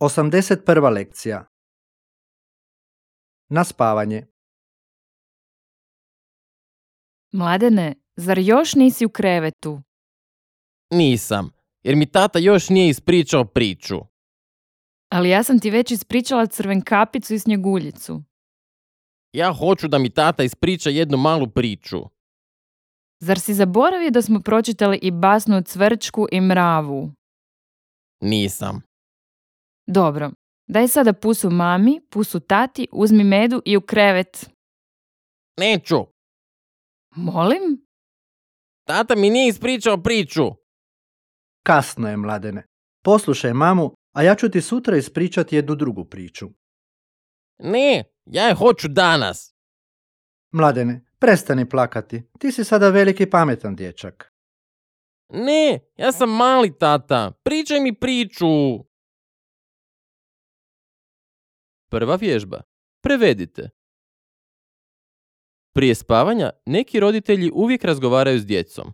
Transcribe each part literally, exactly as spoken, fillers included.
osamdeset prva lekcija. Na spavanje. Mladene, zar još nisi u krevetu? Nisam, jer mi tata još nije ispričao priču. Ali ja sam ti već ispričala Crvenkapicu i Snjeguljicu. Ja hoću da mi tata ispriča jednu malu priču. Zar si zaboravio da smo pročitali i basnu o Cvrčku i Mravu? Nisam. Dobro, daj sada pusu mami, pusu tati, uzmi medu i u krevet. Neću. Molim? Tata mi nije ispričao priču. Kasno je, Mladene. Poslušaj mamu, a ja ću ti sutra ispričati jednu drugu priču. Ne, ja je hoću danas. Mladene, prestani plakati. Ti si sada veliki pametan dječak. Ne, ja sam mali tata. Pričaj mi priču. Prva vježba. Prevedite. Prije spavanja neki roditelji uvijek razgovaraju s djecom.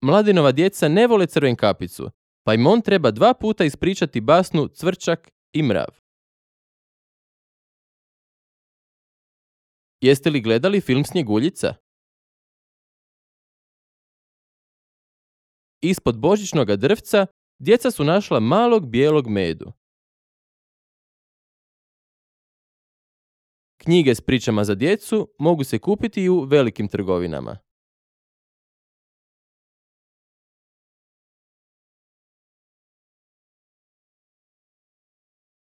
Mladenova djeca ne vole Crvenkapicu, pa im on treba dva puta ispričati basnu Cvrčak i Mrav. Jeste li gledali film Snjeguljica? Ispod božićnoga drvca djeca su našla malog bijelog medu. Knjige s pričama za djecu mogu se kupiti i u velikim trgovinama.